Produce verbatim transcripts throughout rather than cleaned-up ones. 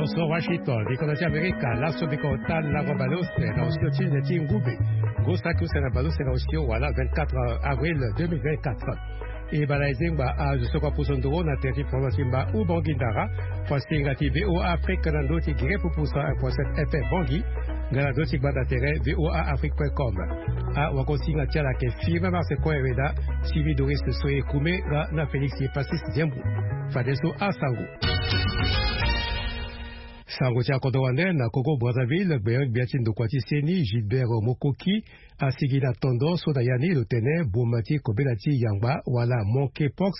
So Washington, bikolo ti Amerika, laso biko ota lango baleuse na osio ti nze ti ngube. Ngu saki use na baleuse na osio wala vingt-quatre avril deux mille vingt-quatre. E bala ezengba azo so kua puso ndoro na tere ti province ti mba Ubangui Ndara, fo asinga ti V O A Afrique na ndö ti gere pupu cent un point sept F M Bangui, nga na ndö ti gbanda tere V O A Afrique point com. Awakosinga ti ala ayeke Firmin Marsecoin Hereda, Sylvie Doris Soye Koume nga na Félix Passis Diembo. Fadeso asango. Sango ti akodro wande na Congo Brazzaville, gbenyo-gbia ti ndokua ti seni Gilbert Mokoki asigi na tondo so na ya ni lo tene boma ti kobela ti yangba wala monkeypox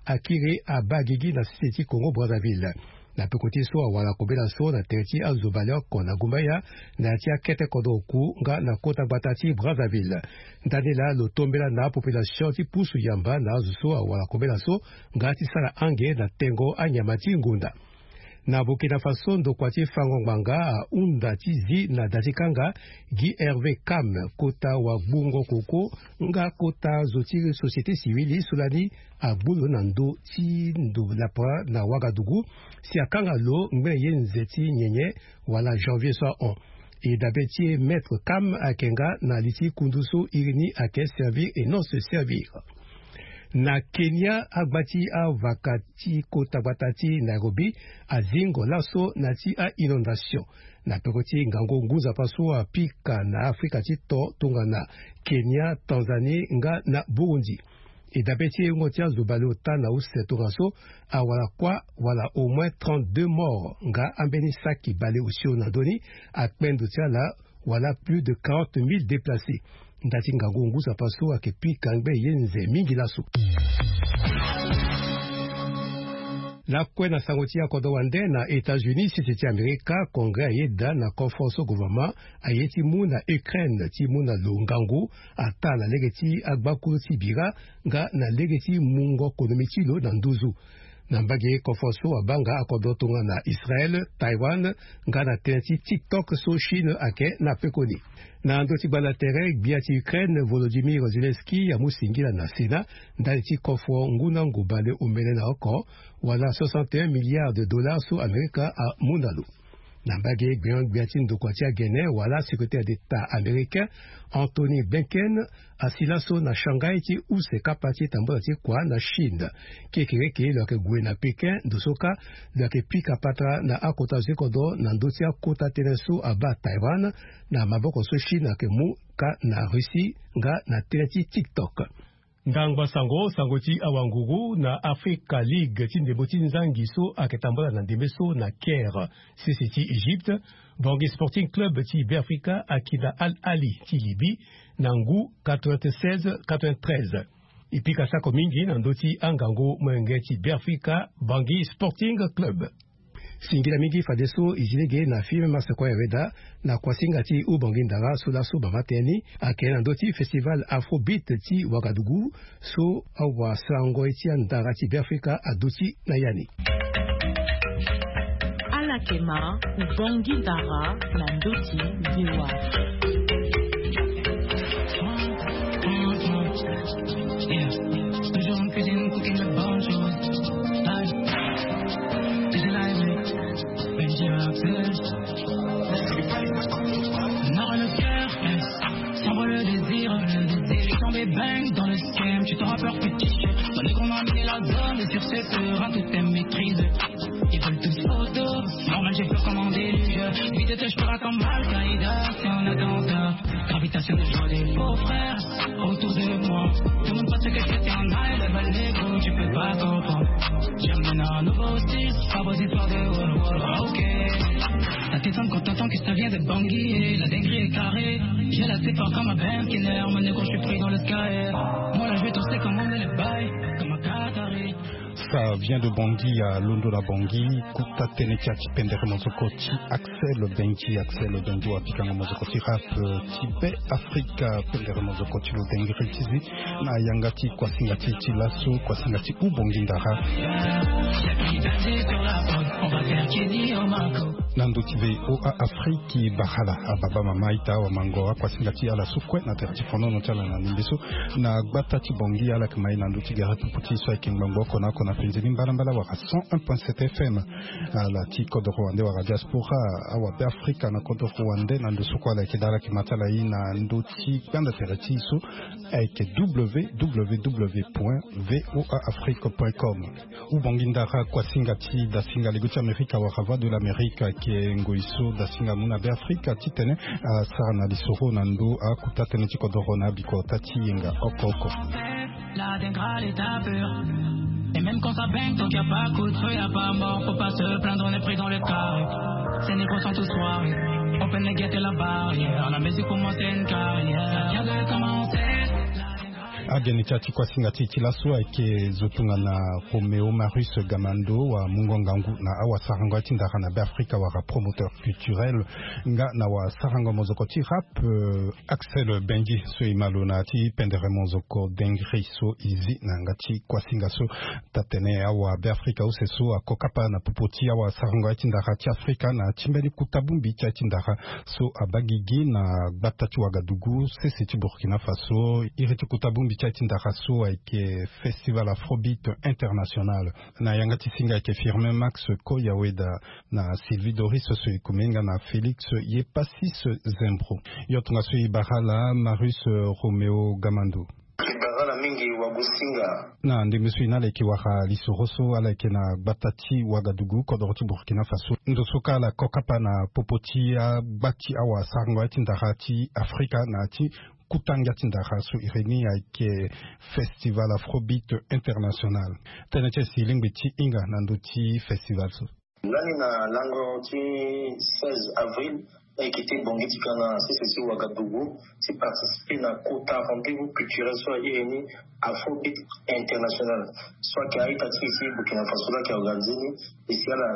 akiri abaa gigi na sese ti Congo Brazzaville. Na peko ti so awara kobela so na tere ti azo baleoko na gumbaya na ya ti akete kodro oku nga na kota gbata ti Brazzaville. Ndani laa lo tombela na apopulation ti pusu yamba na azo so awara kobela so nga ti sara ange na tengo anyama ti ngonda. Na Burkina Faso, ndokua ti fango ngbanga ahunda ti zi na da ti kanga Guy Hervé Kam, kota wagbungo koko nga kota zo ti société civile so lani agbu lo na ndö ti ndo lapara na Ouagadougou, si akanga lo ngbene ye nze ti nyenye wala janvier so ahon. E dabe ti e Maître Kam ayeke nga na li ti kundu so iri ni ayeke servir et non se servir. Na Kenya, agba ti avaka ti kota gbata ti Nairobi azingo laso na ya ti a-inondation na peko ti ngangu ngu nzapa so apika na Afrika ti to tongana Kenya, Tanzanie nga na Burundi. E dabe ti e wungo ti azo baleota na use tongaso awara kuâ wala au moins trente-deux morts nga ambeni saki baleosio na ndö ni akpe ndo ti ala wala plus de quarante mille déplacés. Nda ti ngangu ngu nzapa so ayeke pika ngbene ye nze mingi laso. Lakue na sango ti akodro wande na États-Unis, sese ti Amerika, Congrès ayeda na kofo so gouvernement aye ti mu na Ukraine ti mu na lo ngangu ataa na lege ti agbakulu ti bira nga na lege ti mungo konomi ti lo na nduzu. Na mbage kofo so abaa nga akodro tongana Israël, Taïwan nga na tënë ti TikTok so Chine ayeke na pekoni. Na ndö ti gbanda tere, gbia ti Ukraine Volodymyr Zelensky amu singila na Sénat ndali ti kofo ngu na ngu baleomene na oko wala soixante et un milliards de dollars so Amerika amu na lo. Na mbage gbenyo-gbia ti ndokua ti agene wala secrétaire d'État américain Antony Blinken asi laso na Shanghai ti use kapa ti tambula ti kua na Chine. Kekereke lo yeke gue na Pékin, ndo so kâ lo yeke pika patara na akota zo ti kodro na ndö ti akota tënë so abaa Taïwan na maboko so Chine ayeke mu kâ na Russie nga na tënë ti TikTok. Ndangba sango, sango ti awanguru na Africa League ti ndembo ti nzangi so ayeke tambula na ndembe so na Caire, sese ti Egypte. Bangui Sporting Club ti Beafrika aki na Al Ahly ti Libye na ngu quatre-vingt-seize quatre-vingt-treize. E pika sako mingi na ndö ti angangu molenge ti Beafrika, Bangui Sporting Club. Singila mingi fadeso e zi lege na Firmin Marsecoin Hereda na kuasinga ti Ubangui Ndara so laso bama tënë ni ayeke na ndö ti festival Afrobeat ti Ouagadougou so awasango ti andara ti Beafrika aduti na ya ni. Ala yeke ma Ubangui Ndara na ndö ti V O A. Yeah. Toujours en cuisine, cooking the bonne chose. Aïe. Déjà live, Benji Axel. Nord le cœur, yes. S'envoie le désir, le désir. Tombé bang dans le scam, tu t'en rappelles petit. On est qu'on a mis la zone, et sur cette heure, à toute tes maîtrises. Ils veulent tous photo, normal, j'ai peur comme un déluge. Vite, je pars comme Al-Qaïda, c'est un attentat. Gravitation de joie des beaux frères autour de moi. Demande pas ce que je fais, t'es en high level, négro, tu peux pas comprendre. J'amène un nouveau style, pas vos histoires de wall wall, ok. Ça t'étonne quand t'entends que ça vient de Bangui, la dinguerie est carrée. J'ai la tête fort comme un Benz Skinner, mon négro, je suis pris dans le sky. Moi là, je vais tourner comme on est le bail, comme un Qatari. Ça vient de Bangui, ya londo na Bangui. Kota tënë ti ya ti pendere mozoko ti Axel Benji. Axel Benji wa pikango mozoko ti rap, euh, ti Be Afrika. Pendere mozoko ti lo dengiri ti zi na yanga ti kuasinga ti, ti laso, kuasinga ti Ubangui Ndara. Na ndö ti V O A Afrique, barala ababa mama ita wamango akuasinga ti ala so kue na tere ti fonono ti ala na ndembe so. Na gbata ti Bangui, ala yeke ma e na ndö ti gere pupu ti e so ayeke ngbangbo oko na oko na Nzeni mbalambala wala cent un point sept F M. Ala ti kodoro wande wala diaspora, awa Beafrika na kodoro wande na ndo so kue ala yeke dala yeke ma ti ala ye na ndo ti gbanda tere ti e so ayeke W W W point V O A Afrique point com. Ou bongi ndara kuasinga ti dasinga lego ti Amerika wala Voix de l'Amérique ayeke ngoi so dasinga mu na Beafrika titene asara na lisoro na ndo akuta tënë ti kodoro na abikota ti yenga oko oko. La dégrade est ta peur. Et même quand ça baigne, tant qu'il y a pas coup de feu, y a pas mort. Faut pas se plaindre, on est pris dans le carré. Ces négros sont tous soirés. On peut les guetter la barrière. La musique pour moi, c'est une carrière. Ça vient de commencer. Ageni ti ya ti kuasinga ti e ti laso ayeke zo tongana Roméo Marius Gamando, wa mungo ngangu na awasarango ya ti ndara na Beafrika wala promoteur culturel, nga na wasarango mozoko ti rap, euh, Axel Benji so e ma lo na ya ti pendere mozoko dengri so e zi na yanga ti kuasinga so. Taa-tene awa Beafrika use so ako kapa na popo ti awasarango ya ti ndara ti Afrika na ya ti mbeni kuta bongbi ti ya ti ndara so abaa gigi na gbata ti Wagadugu, sese ti Burkina Faso. Iri ti kuta bongbi ti ya ti ndara so ayeke Festival Afrobeat International. Na yanga ti singa ayeke Firmin Max Koyaweda na Sylvie Doris so e kume nga na Félix Yepasis Zembro. Yo tongaso e bara ala Marius, euh, Roméo Gamando. E bara ala mingi wagosinga. Na ndembe so e na ala e yeke wara lisoro so ala yeke na gbata ti Wagadugu, kodoro ti Burkina Faso. Ndo so kâ ala ko kapa na popo ti agba ti awasarango ya ti ndara ti Afrika na ya ti kuta ngia ti ndara so iri ni ayeke Festival Afrobeat International. Tënë ti e si lingbi ti hinga na ndö ti festival so. Lani na lango ti seize avril, e yeke ti bongi ti ka na sese ti Wagadugu ti participer na kota rendez-vous culturel so airi ni Afrobeat International. So ayeke a-ita ti e ti Burkina Faso so ayeke organiser ni. E si ala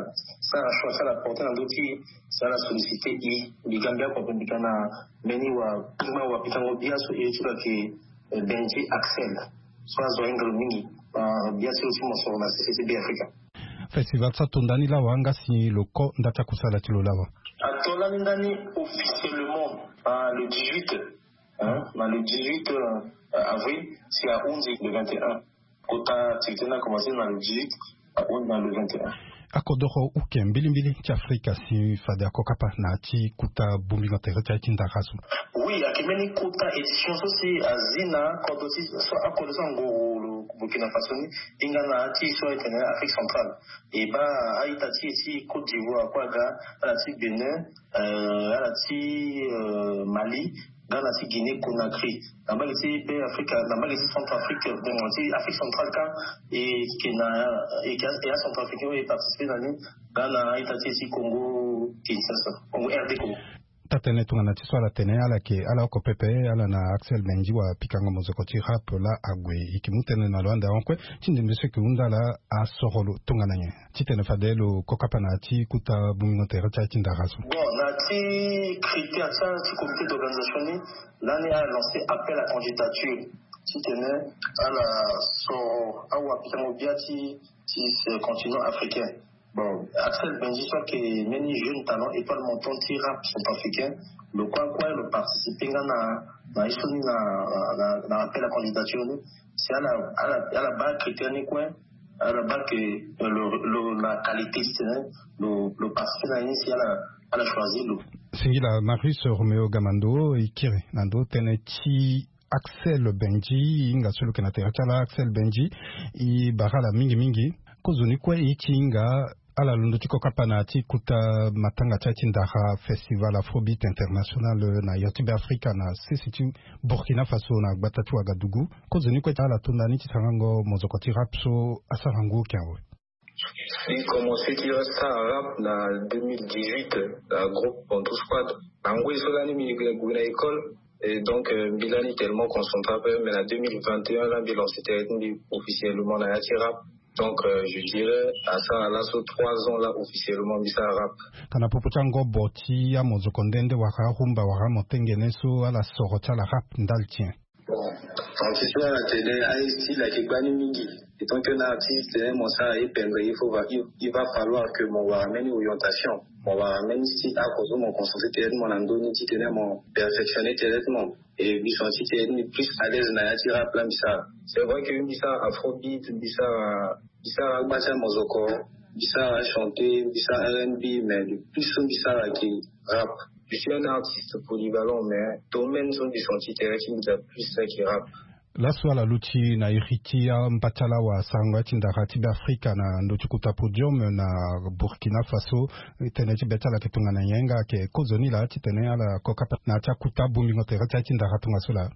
sara choix, si ala porter na ndö ti e, si ala solliciter e. Mbi ga mbi oko ape mbi ga na mbeni wa, mbeni wapikango bia so iri ti lo ayeke, eh, Benji Axel. So azo ahinga lo mingi. Ah, bia ti lo ti mosoro na sese ti Beafrika. Festival so ato nda ni lawa nga si lo ko nda ti akusala ti lo lawa? Ato lani ndani officiellement, ah, le dix-huit, hein, na le dix-huit, euh, avril, si ahunzi le vingt et un. Kota activité ni akomanse na le dix-huit, ahunzi na le vingt et un. Akodoro uke mbilimbili ti Afrika si fade ako kapa na ya ti kuta bongbingo tere ti aye ti ndara so. Oui, ayeke mbeni kota édition so si azi na kodro ti so, akodro so angoro lo Burkina Faso ni, e hinga na ya ti so ayeke na Afrique centrale. E baa a-ita ti e ti Côte d'Ivoire kue aga, ala ti Bénin, euh, ala ti, euh, Mali, nga na ti Guinée Conakry. Na mbage ti Beafrika, na mbage ti Centrafrique, donc ti Afrique centrale kâ, e yeke na, e yeke, e aCentrafricain oyo e participer na ni, nga na a-ita ti e ti Congo Kinshasa, Congo, R D Congo. Taa-tënë tongana ti so ala tene, ala yeke, ala oko pepe, ala na Axel Benji wapikango mozoko ti rap laa ague. E yeke mu tënë na lo ande ahon kue ti ndembe so e yeke hunda ala asoro lo tongana nyen titene fade lo ko kapa na ya ti kuta bongbingo tere ti aye ti ndara so. Bon, na ya ti critère ti, ti comité d'organisation ni, lani ala lancer appel à candidature titene ala soro awapikango bia ti, ti ce continent africain. Bon, Axel Benji so ayeke mbeni jeune talent, étoile montante ti rap centrafricain, lo kue kue lo participer nga na, na ye so ni na, na, na appel à candidature ni. Si ala, ala, ala baa critère ni kue, ala baa que, euh, lo, lo, la qualité titene lo, lo participer na ye ni, si ala, ala choisir lo. Singila Marius Roméo Gamando, e kiri na ndo tënë ti Axel Benji, e hinga so lo yeke na tere ti ala Axel Benji, e bara ala mingi mingi. Kozoni kue e ti hinga ala londo ti ko kapa na ya ti kuta matanga ti aye ti ndara Festival Afrobeat International na iri ti Beafrika na sese ti Burkina Faso na gbata ti Wagadugu. Kozoni kue ala to nda ni ti sarango mozoko ti rap so asarango oke awe. Mbi komanse ti sara rap na deux mille dix-huit, na groupe Bantou Squad. Na ngoi so lani mbi gue na école, et donc, euh, mbi lani tellement concentré ape, mais na deux mille vingt et un la mbi lancer tere ti mbi officiellement na ya ti rap. Donc, euh, je dirais, asara laso trois ans la officiellement mbi sara rap. Kana popo ti angobo ti amozoko nde nde wala arumba wala amotengene so ala soro ti ala rap ndali ti nyen? Bon. Francis wala tene aye style ayeke gbani mingi. Etant que na artiste tene mo sara ye pembe, il faut va il, il va falloir que mo wara mbeni orientation, mo wara mbeni style ako so mo concentre tene ti mo na ndoni ti tene mo perfectionne tene ti mo. Et mbi senti tene ni plus à l'aise na ya ti rap la mbi sara. C'est vrai que mbi sara afrobeat, mbi sara mbi sara agba ti amozoko, mbi sara chanté, mbi sara rnb, mais le plus so mbi sara ayeke rap. Je suis un artiste polyvalent, mais domaine so mbi senti tene ti mbi za plus ayeke rap. Laso ala luti na iri ti amba ti ala wasarango ya ti ndara ti Beafrika na ndö ti kota podium na Burkina Faso. Tënë ti be ti ala ayeke tongana nyen nga? Ayeke kozoni laa titene ala koka pe na ya ti akota bongbingo tere ti aye ti ndara tongaso laa.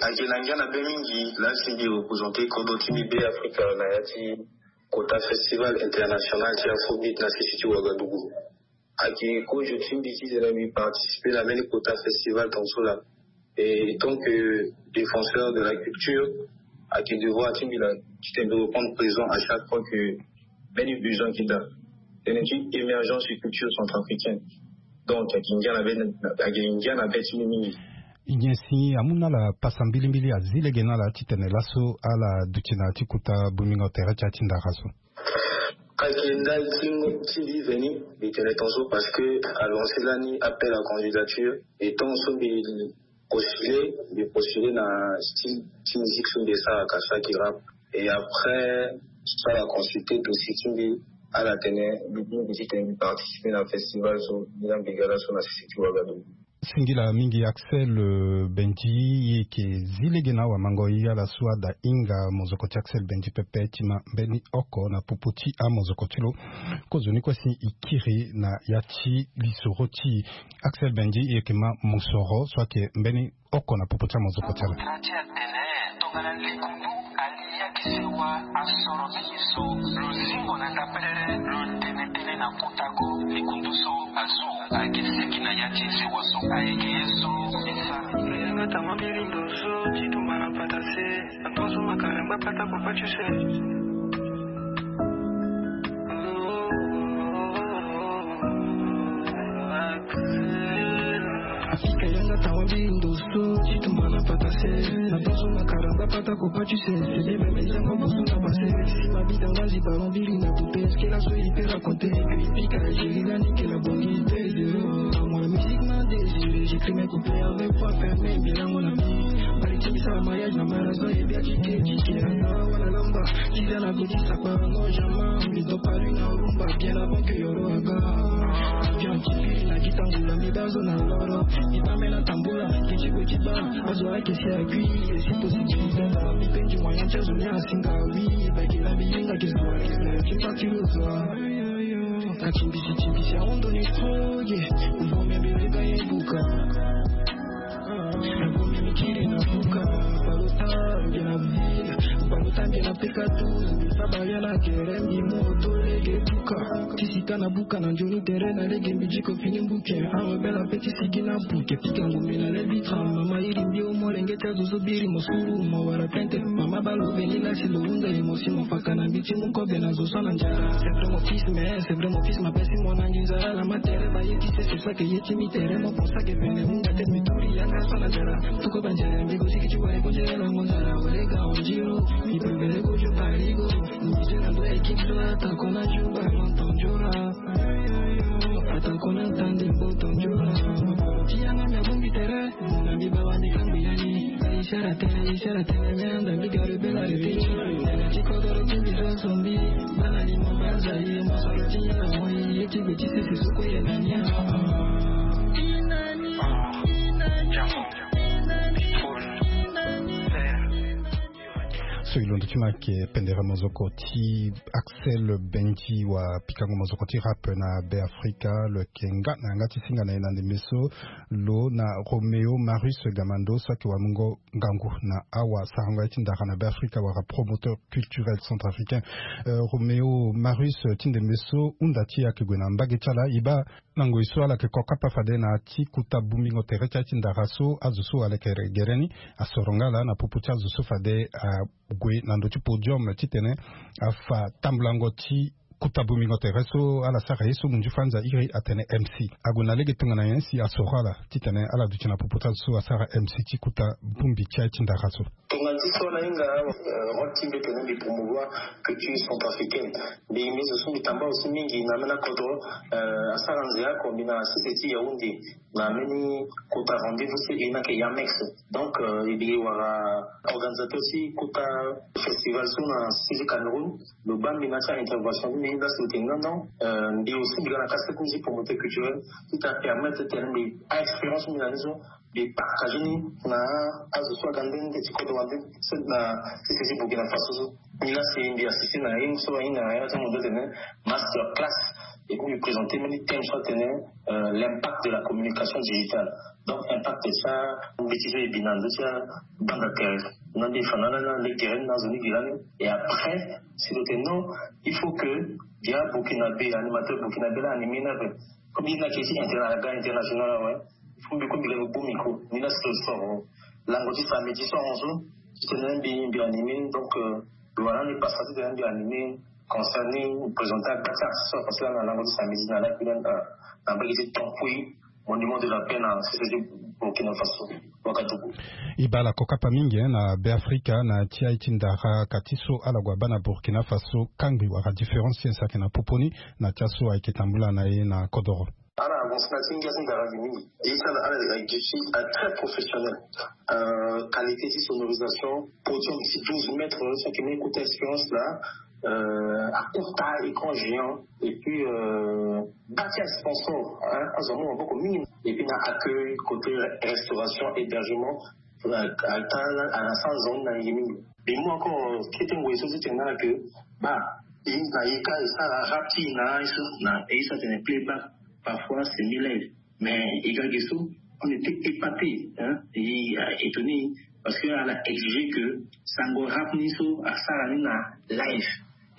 Ayeke na ngia na be mingi laa si mbi représente kodro ti mbi Beafrika na ya ti kota festival international ti afrobeat na sese ti Ouagadougou. Ayeke kozo ti mbi titene mbi participer na mbeni kota festival tongaso laa. Et tant que défenseur de la culture, ayeke devoir ti mbi laa titene mbi reprendre présent à chaque fois que mbeni besoin ayeke daa. Tënë ti émergence et culture centrafricaine. Donc ayeke ngia na be ayeke ngia na be ti mbi mingi. Nyen si amu na ala pasa mbilimbili, azi lege na ala titene laso ala duti na ya ti kota bongbingo tere ti aye ti ndara so? Ayeke ndali ti ti mbi veni mbi tene tongaso parce que alance lani appel à candidature. Et tant so mbi postule mbi postule na style ti musique so mbi esaraka, saki rap. Et après so ala consulte dossier ti mbi, ala tene mbi bongbi titene mbi participer na festival so mbi na mbi ga laso na sese ti Ouagadougou. Singila mingi Axel, euh, Benji, e yeke zi lege na awamango e ala so ada hinga mozoko ti Axel Benji pepe ti ma mbeni oko na popo ti amozoko ti lo. Kozoni kue si e kiri na ya ti lisoro ti e. Axel Benji, e yeke ma mosoro so ayeke mbeni oko na popo ti amozoko ti ala. Tongana likundu ali yaki sewa asoro mingi so lo zingo na ndapelele lo tene tënë na kota go. Likundu so azo ayeke seki na ya ti sewa so ayeke ye so. Yanga tama mbilindo so ti tumba na pata se. Atonso makalamba pata papa tu se. Afrika yanga tawa mbi ndoso ti tumba na pata se. Na toso na karamba pata kopa tu se. Sebe meme zango boso na pase. Si ma bita ngazi ballon bili na poupée. Est-ce que la so il peut raconter que il pique Algérie la nique la bonne idée de l'eau. Dans mon musique m'a désiré. J'écris mes couplets avec voix fermée. Bilan mon ami. Bari ti sa mariage na marazo et bien tu t'es dit que la wala lamba. Ti za na goti sakpa ngo jama. Mbi do palu na rumba bien avant que yoro aga. Bien ti piri na kita ngula mbi bazo na loro. Mbi bambe na tambula. Kiti kwe ti ba. Azo ake si akui. Et si possibilité na mbi penji moyen ti azo ni asinga oui. Bakela mbi yenga ke zwa. Ti pati lo zwa. Kati mbisi ti mbisi ahondo ni froge. Uvo mbi mbi lega ye buka. Nakomi mikili na buka. Balota mbi na vila. Balota mbi na peka tu. Sabaria na kere mbi moto lege buka. Ti sika na buka na njoni tere na lege mbi jiko fini mbuke. Awe bela pe ti sigi na buke. Pika ngombe na lebi tra. Mama iri mbi o molenge ti azo so biri mosuru. Mo wara plente. Mama balo veni lasi lo hunda ye mosi mo faka na mbi ti mu kobe na zo so na njara. C'est vrai mon fils, mais c'est vrai mon fils, ma pesi mo na nginza. La ma tere ba ye ti se, c'est ça que ye ti mi tere mo. Pour ça que vene hunda te mi turi yanga so na njara. Tuko banjere mbi go siki ti ware ko jere la mo njara. Ware ga onjiro. Mi prevere ko jo parigo. Mi jere ndo équipe so ata kona juba. Mon tonjora. Ata kona tande bo tonjora. Ti yanga mi abongi tere. Na mbi bawa ni kambi yani. Ishara tene, ishara tene, me anda mbi gare bela rete. Tene ti kodoro ti mbi zo sombi. Bana ni mo banza ye, mo soro ti yanga mo ye, ye ti gbe ti sese soko ye na nia. So e londo ti ma ayeke pendere mozoko ti Axel Benji wa pikango mozoko ti rap na Beafrika. Lo yeke nga na yanga ti singa na e na ndembe so lo na Roméo Marius Gamando so ayeke wamungo ngangu na awasarango ya ti ndara na Beafrika wala promoteur culturel centrafricain. Euh, Roméo Marius, ti ndembe so hunda ti e ayeke gue na mbage ti ala, e baa na ngoi so ala yeke kokapa fade na ya ti kota bongbingo tere ti aye ti ndara so azo so ala yeke gere ni asoro nga laa na popo ti azo so fade ague na ndö ti podium titene afa tambulango ti Kota bongbingo tere so ala sara ye so munzu fanza iri atene mc ague na lege tongana nyen si asoro ala titene ala duti na popo ti azo so asara mc ti kota bongbi ti aye ti ndara so. Tongana ti so ala hinga, role ti mbi tene mbi promouvoir culture centrafricaine. Mbi mbi zo so mbi tamba aussi mingi na ambeni akodro. Asara nze oko mbi na sese ti yaounde na ambeni kota rendez-vous so e na ke yamex. Donc e mbi wara organisateur ti kota festival so na sese ti cameroun. Lo baa mbi na ti intervention ti mbi lasi lo tene non non. Mbi aussi mbi ga na kase ti promoteur culturel ti ta permettre tene mbi a expérience mbi na ni so mbi partage ni na azo so aga nde nde ti kodro wande so na ti sese burkina faso so. Mbi lasi mbi assiste na ye so ahinga na ye na ti amondo tene master class. Et puis mbi présenter mbeni thème so atene l'impact de la communication digitale. Donc impact ti ambeti so e bi na ndo ti abanda tere na mbi fa na ala na lege tere ni na azo ni gi lani. Et après si lo tene non, il faut que dia burkinabe animateur burkinabe la animé na ape. Comme il na ke ti interna aga international awe. Il faut mbi ko mbi lebe bomi ko ni na sosoro lango ti samedi so aranso ti tene mbi mbi animé. Donc lo wara ni pasa ti tene mbi animé concert ni présenter agba ti artiste so apasé lani na lango ti samedi na la puis lani na mbage ti tampouille monument de la paix na sese ti burkina faso. Wakadugu. E baa ala kokapa mingi na beafrika na ti aye ti ndara ka ti so ala gue abaa na burkina faso kangbi wala différence ti en saki na popo ni na ti aso ayeke tambula na ye na kodoro. Ala avance na ti ngia ti ndara gi mingi. E ti ala ala gi ti très professionnel. Qualité ti sonorisation podium ti douze mètres. Saki meni kota expérience la. Akota écran géant et puis bâti asponsor azo amu maboko mingi. Et puis na accueil côté restauration hébergement ata ala sara zo ni na ye mingi. Be mu encore kete ngoi so ti tene na ala ke ba e na ye ka e sara rap ti e na ye so na ye so atene playback parfois c'est mille. Mais e ga ge so on était épaté. Hein, et étonné parce que ala exige que sango rap ni so asara ni na live.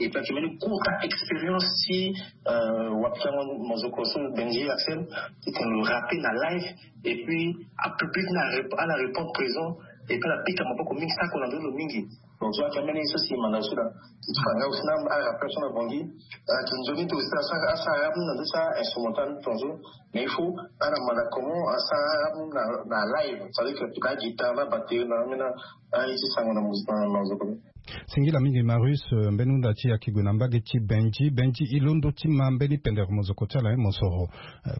Et puis akimeni kota expérience ti wapikango mozoko so benji axel ti tene lo rape na live. Et puis apublic na ala répond présent. Et puis ala pika maboko mingi sako na ndolo mingi. Donc so akimeni so si manda so la ti fanga aussi na ala rappeur so na bongi kinzoni to aussi asara rap na ndo sa instrumental tonzo. Mais il faut ala manda comment asara rap na live, c'est à dire que la guitare la batterie na mena aye ti sango na mozoko. Singila mingi Marius. Mbeni hunda ti yaki gue na mbage ti benji benji e londo ti ma mbeni pendere mozoko ti ala ye mosoro.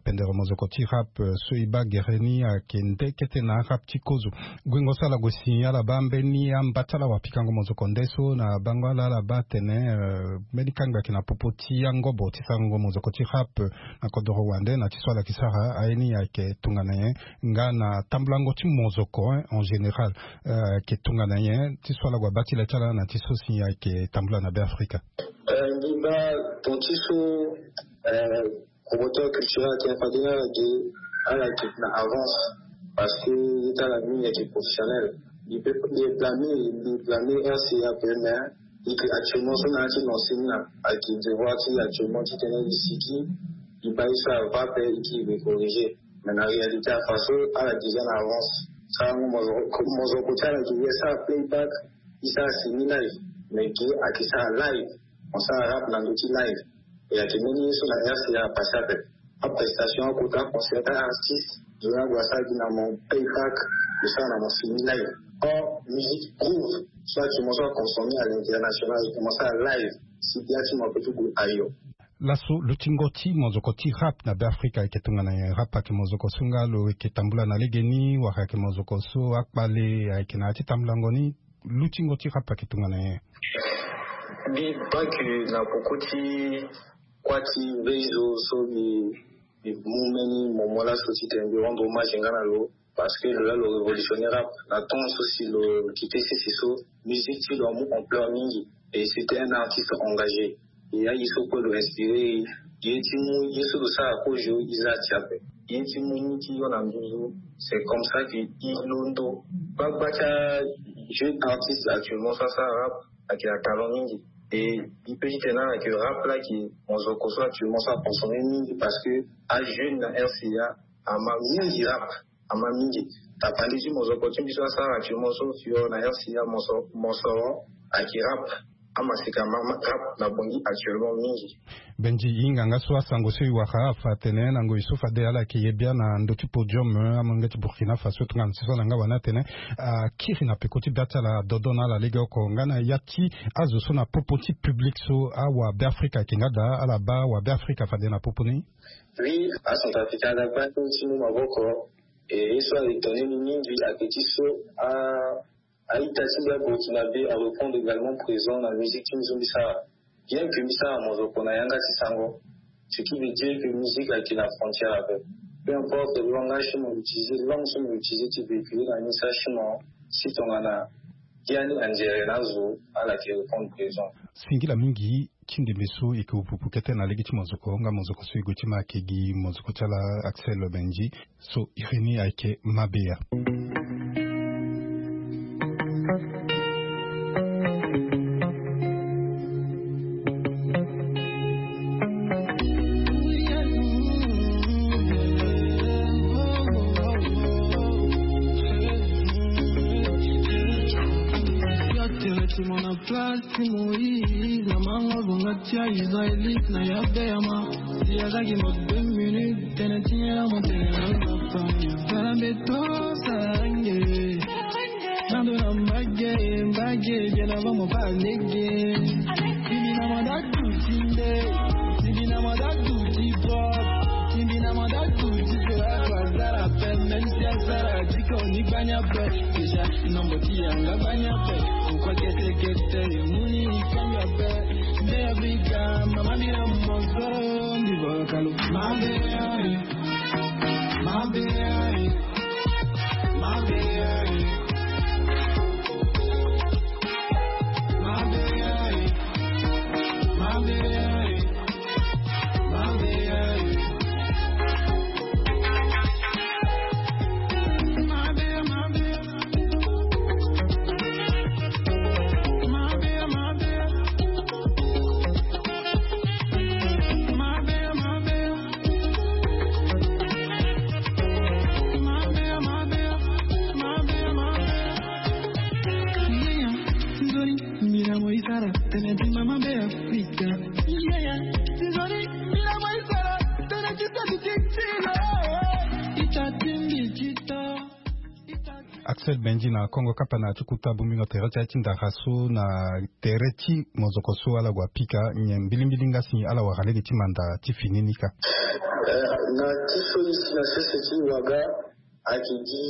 Pendere mozoko ti rap so e baa gere ni ayeke nde kete na arap ti kozo. Guengo so ala gue si ala baa mbeni amba ti ala wapikango mozoko nde so na bango ala ala baa atene mbeni kangbi ayeke na popo ti angobo ti sarango mozoko ti rap na kodoro wande na ti so ala yeke sara aye ni ayeke tongana nyen? Nga na tambulango ti mozoko en général ayeke tongana nyen ti so ala gue abaa ti le ti ala na ti so si ayeke tambula na be afrika? Mbi baa ton ti so promoteur culturel ayeke fade ni ala ge ala yeke na avance. Parce que ye ti ala mingi ayeke professionnel. Mbi pe mbi blame mbi blame rca pe mais e ke actuellement so na ya ti lancer ni na ayeke devoir ti actuellement ti tene e siki e baa ye so ava pe e ke e corriger. Mais na réalité afa so ala déjà na avance. Sarango mozoko ti ala ke ye asara playback e sara semi live. Mais ge ayeke sara live. On sara rap na ndö ti live. E ayeke mbeni ye so na rca apase ape. Aprestation akota concert artiste zo ni ague asara gi na mon playback. Lo sara na mon semi live. Or musique groove so actuellement so aconsomme à l'international ayeke mo sara live. Si bia ti mo ape ti gue ayo. Laso lutingo ti mozoko ti rap na be afrika ayeke tongana nyen? Rap ayeke mozoko so nga lo yeke tambula na legeni wala ayeke mozoko so akpale ayeke na ya ti tambulango ni? Lutingo ti rap ayeke tongana nyen? Mbi baa ke na poko ti kuâ ti mbeizo so mbi mbi mu mbeni momo laso titene mbi rendre hommage nga na lo. Parce que lo la lo révolutionner rap na temps so si lo kite sese so musique ti lo amu ampleur mingi. Et c'était un artiste engagé. E aye so kue lo inspiré e ye ti mu ye so lo sara kozo e za ti ape. Ye ti mu ni ti yo na nduzu. C'est comme ça que e londo gbagba ti ajeune artiste actuellement so asara rap. Ayeke na talent mingi. Et e pe titene ala yeke rap la ayeke mozoko so actuellement so aconsomme mingi parce que ajeune na rca ama mingi rap. Ama mingi. Tapande ti mozoko ti mbi so asara actuellement so fio na rca mosoro ayeke rap. Amaseka ma ma rap na bongi actuellement mingi. Benji, e hinga nga so asango so e wara afa atene na ngoi so fade ala yeke ye bia na ndö ti podium, eh, amolenge ti Burkina Faso tongana so so na nga wani atene akiri na peko ti bia ti ala dodo na ala legeoko nga na ya ti azo so na popo ti public so awabeafrika ayeke nga daa ala baa awabeafrika fade na popo ni. Oui, acentrafricain ala gba ti mu maboko. E ye so a étonné ni mingi ayeke ti so a a-ita ti mbi aburkinabe a reprendre également présent na musique ti mbi so mbi sara. Bien que mbi sara mozoko na yanga ti sango, ce qui veut dire que musique ayeke na frontière ape. Peu importe langage so mo utiliser, langue so mo utiliser ti véhiculer na message ti mo, si tongana biani anzere na azo ala yeke reprendre présent. Singila mingi ti ndembe so e yeke wupupu kete na lege ti mozoko nga mozoko so e gue ti ma ayeke gi mozoko ti ala Axel Benji. So Irini ayeke mabe ya. Place ti Moïse na mango bonga ti Israélite na ya beyama. Si azaki mo deux minutes tene ti nyela mo tene na papa. Tala mbeto sarange. Nando na mbage mbage bien avant mo pa lege. Sidi na manda tuti nde. Sidi na manda tuti pop. Sidi na manda tuti pop. Azara pe même si azara diko ni gbanya pe. Déjà nombo ti yanga gbanya pe. Pourquoi kete kete muni kanya pe. Nde Afrika mama mira mosoro ndi volokalo. Mabe ai. Mabe ai. Mabe ai. Axel Benji na Kongo Kapana ti kuta bumbingo tere ti aye ti ndara so na tere ti mozoko so ala gue apika nyen mbilimbili nga si ala wara lege ti manda ti fini ni ka. Eh, na ti so e si na sese ti waga ayeke gi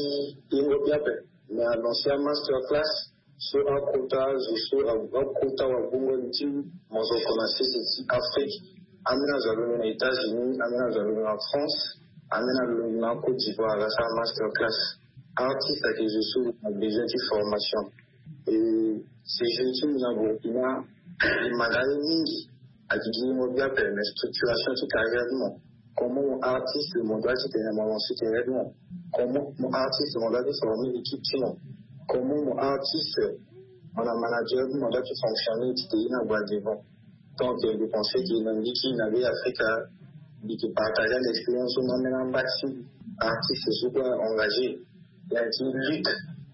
yengo bia ape. Me anoncer amaster class so akota zo so akota wagbongo ni ti mozoko na sese ti Afrique. Ambeni azo alongo na États-Unis, ambeni azo alongo na France, ambeni alongo na Côte d'Ivoire ala sara master class. Artiste ayeke zo so na besoin ti formation. Et séjour ti mbi na Burkina e manda ye mingi. Ayeke gi mo bia ape, mais structuration ti carrière ti mo. Comment mo artiste mo doit ti tene mo lancer carrière ti mo? Comment mo artiste mo doit ti former équipe ti mo? Comment mo artiste mo na manager ti mo doit ti fonctionner ti tene na gba devant? Donc je pense que na mbi ti na be Afrika mbi yeke partager na expérience so na ambeni amba ti artiste so kue engagé. Ya ti lutte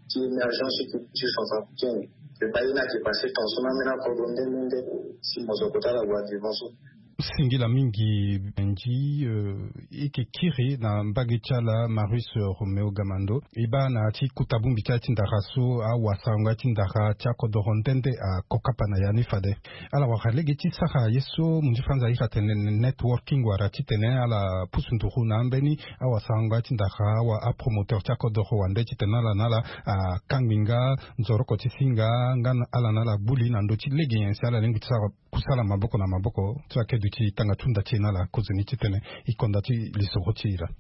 ti émergence ti culture centrafricaine. Mpe baa ye ni ayeke passé tension na ambeni akodro nde nde nde si mozoko ti ala gue devant so. Singila mingi Benji, eh, e yeke kiri na mbage ti ala Marius Roméo Gamando. E baa na ya ti kuta bongbi ti aye ti ndara so awasarango ya ti ndara ti akodoro nde nde akoka pa na ya ni fade. Ala wara lege ti sara ye so munzi franza ahiri atene networking wala titene ala pusu nduru na ambeni awasarango ya ti ndara awa apromoteur ti akodoro wande titene ala na ala akangbi nga nzoroko ti singa nga na ala na ala gbu li na ndö ti lege nyen si ala lingbi ti sara kusala maboko na maboko ti akedu ti tanga ti hunda ti e na ala kozoni titene e konda ti lisoro ti e laa.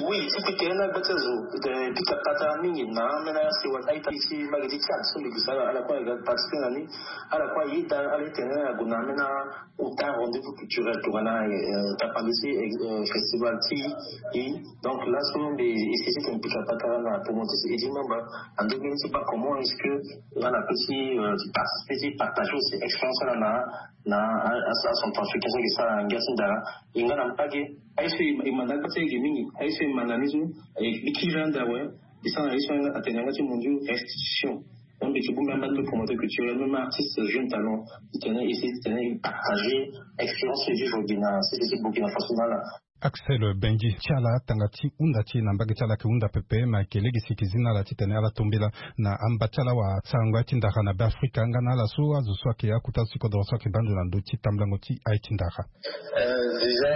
Oui, ti pika ye na gba ti azo, eh, pika patara mingi na ambeni asewa ti a-ita ti mbage ti Tchad so mbi gue sara ala kue aga participer na ni. Ala kue ayeda ala ti tene ague na ambeni akota rendez-vous culturel tongana, eh, tapande ti, eh, festival ti e. Donc laso mbi essayer ti tene pika patara na promoteur ti Eddy Mamba na ndö ni ti baa comment est-ce que nga na peut ti, eh, ti participer ti partager aussi expérience ala na na a, a, a centrafricain so ayeke sara ngia ti ndara. E nga na mbage aye so e ma na gba ti ayeke mingi, aye so e ma na ni so e kiri ande awe. E sara na ye so atene yanga ti mondio restitution. Mbi ti bongbi ambeni promoteur culturel, même artiste jeune talent, ti tene essayer ti tene partager expérience ti vivre au Bénin, si ti Burkina Faso na ala. Axel Benji, ti ala tanga ti hunda ti e na mbage ti ala ayeke hunda pepe, ma ayeke lege si e yeke zi na ala ti tene ala tombela na amba ti ala wasarango ya ti ndara na Be Afrika nga na ala so azo so ayeke akota azo ti kodoro so ayeke baa ndo na ndö ti tambulango ti aye ti ndara. Eh, déjà,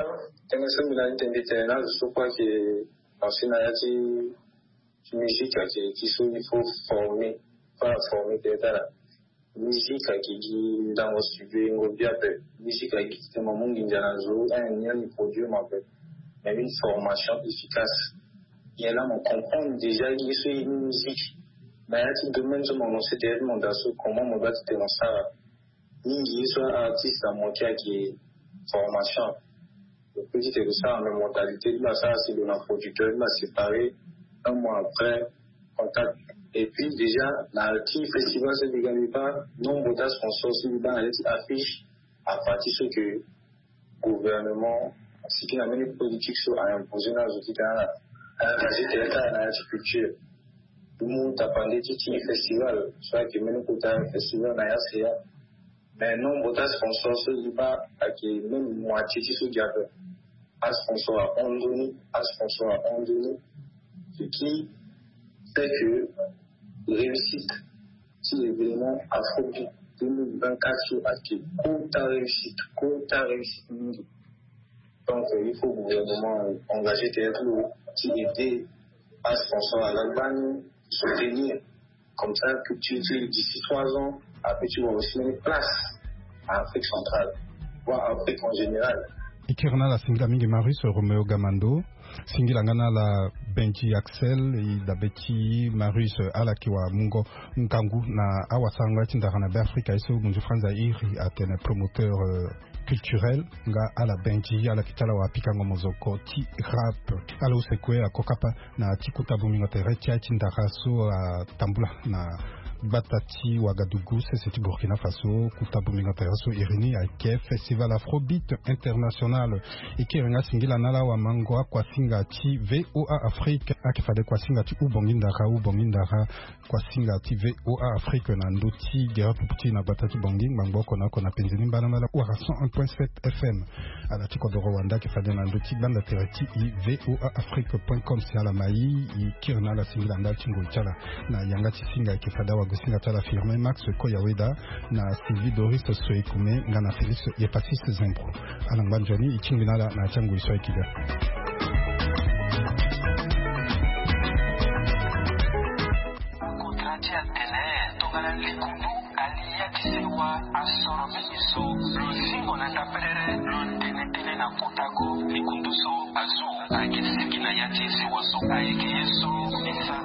tënë so mbi na ni tene tene na azo so kue ayeke lancer na ya ti musique ayeke ti so il faut former, pas former peut-être ala. Musique ayeke gi ndango studio yengo bi ape. Musique ayeke gi titene mo mu nginza na zo, un, ni produit mo ape. Mais une formation efficace. Ye laa mo comprendre déjà ye so ye ni musique. Na ya ti domaine so mo lancer derrière mo daa so, comment mo doit titene mo sara. Mingi ye so artiste na mo ti ayeke formation. Petit et ça, mais mentalité, il m'a ça, c'est de la producteur, il m'a séparé. Un mois après, contact. Et puis déjà, na ti festival so mbi ga mbi baa, nombre de sponsors so mbi baa na ya ti affiche, à partir ce que gouvernement, ce qui amène politique so a imposer na zo ti tene ala, a engagé tene ala na ya ti culture. Mbi mu tapande ti ti festival so ayeke mbeni kota festival na ya seya. Mais nombre ti sponsors so mbi baa ayeke même moitié ti so gi ape. Asponsor ahon nzoni, asponsor ahon nzoni. Ce qui fait que réussite ti événement Afrobeat deux mille vingt-quatre so ayeke kota réussite, kota réussite mingi. Donc, euh, il faut gouvernement, euh, engager tene ti lo ti aider asponsor ala gbani, soutenir. Comme ça, culture ti lo d'ici trois ans, ape ti wara aussi une place à Afrique centrale, voire Afrique en général. E kiri na ala singila mingi Marius Romeo Gamando. Singila nga na ala Benji Axel, e dabe ti Marius, ala yeke wara mungo ngangu na awasarango ya ti ndara na Be Afrika, ye so munzu Franz a iri atene promoteur, euh, culturel, nga ala Benji, ala yeke ti ala wara pikango mozoko ti rap. Ala use kue ako kapa na ti kota bongbingo tere ti aye ti ndara so atambula na gbata ti Ouagadougou, sese ti Burkina Faso. Kota bongbingo tere so iri ni ayeke Festival Afrobeat International. E kiri nga singila na ala wamango akuasinga ti V O A Afrique, ayeke fade kuasinga ti hubongi ndara, hubongi ndara, kuasinga ti V O A Afrique na ndö ti gere pupu ti e na gbata ti Bangui, ngbangbo oko na oko na penze ni mbalambala wala cent un point sept F M. Ala ti kodoro wande ayeke fade na ndö ti gbanda tere ti e, V O A Afrique point com. Si ala ma e, e kiri na ala singila ndali ti ngoi ti ala. Na yanga ti singa ayeke fade awagosinga ti ala Firmin Max Koyaweda, na Sylvie Doris Soekume, nga na Félix Yepasis Zembro. Ala ngba nzoni, e tingbi na ala na ya ti angoi so ayeke ga. Akontra ti atene tongana likundu ali ya ti sewa asoro mingi so, lo zingo na ndaperere, lo tene tënë na kota ko. Likundu so azu ayeke sigi na ya ti sewa so ayeke ye so. Misa.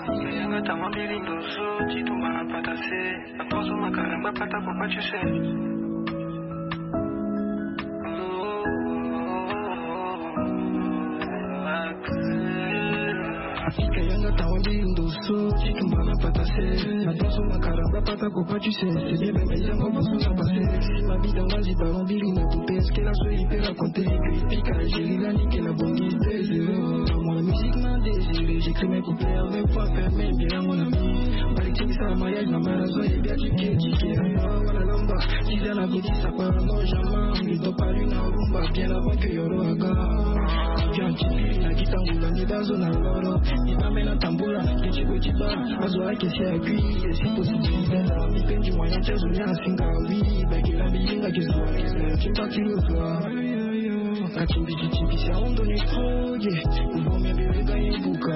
Yanga tama mbiri ndo so ti tumba na patase. Atonso makaramba pata papa tu sais. Afrika yanga tawa mbi ndo so ti tumba na patase. Atonso makaramba pata papa tu sais. C'est bien, mais yango mosu na passé. Ma vie dans la vie, ballon mbiri na coupe. Est-ce que la soirée peut raconter que Afrika Algérie la nique la bonne idée? Moi la musique m'a désiré, j'écris mes couplets avec voix fermée, bien à mon ami. Maritime sa mariage na marazo et bien tu que tu que. Voilà lamba. Déjà la vie ça part non jamais. Ils t'ont pas lu na rumba bien avant que Yoro aga. Bien tu na kita ngula ni dazo na loro. Ni ba mena tambula. Kichi ko chiba. Azo ake si akui. Si possibilité na mi pendi moyen chazo ni asinga oui. Baki la bi inga kizo. Tu pas tu le vois. Katimbi kitimbi si aondo ni kroye. Ubo me bebe ga buka.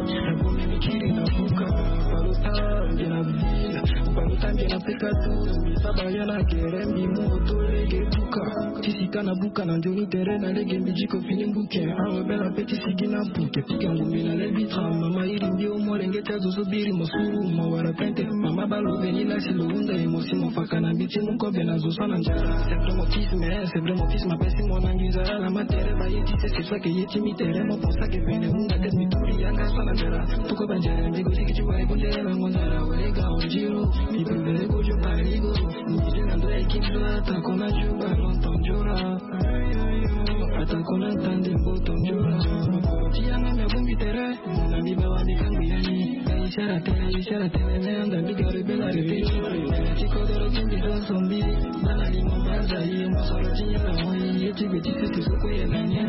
Nabongi mikili na buka. Balota nge na vila. Balota nge na pekatu. Misaba ya na kere mbi moto lege buka. Tisika na buka na njoni tere na lege mbi jiko fini mbuke. Awe bela pe tisiki na mbuke. Pika ngumi na levitra. Mama iri mbi o molenge tia zozo biri mosuru. Mawara pente. Mama balo veni la si lo hunda emosi mofaka na mbi ti mukobe na zoso na njara. C'est vrai mon fils, mais c'est vrai mon fils, ma pesi mon angi nzara la matere ba yeti se se sa ke yeti mi tere mo posa ke pene hunda te mi turi yanga sa na njara. Tuko ba njara mbi go siki ti wari bunde la mo nzara wari ga onjiro. Mi prevere go jo barigo. Mi je na ndo ya ki jo ata kona jo ba lontan jora. Ata kona tande mbo ton jora. Ti yanga mi abungi tere. Na mi ba wani kangu yani. Sara tene, sara tene, ne anda bigari bela de ti. Ti kodoro ti mbi do sombi. Bana di mo baza yi, mo soro ti yela mo yi, ye ti be ti se ti soko yela nya.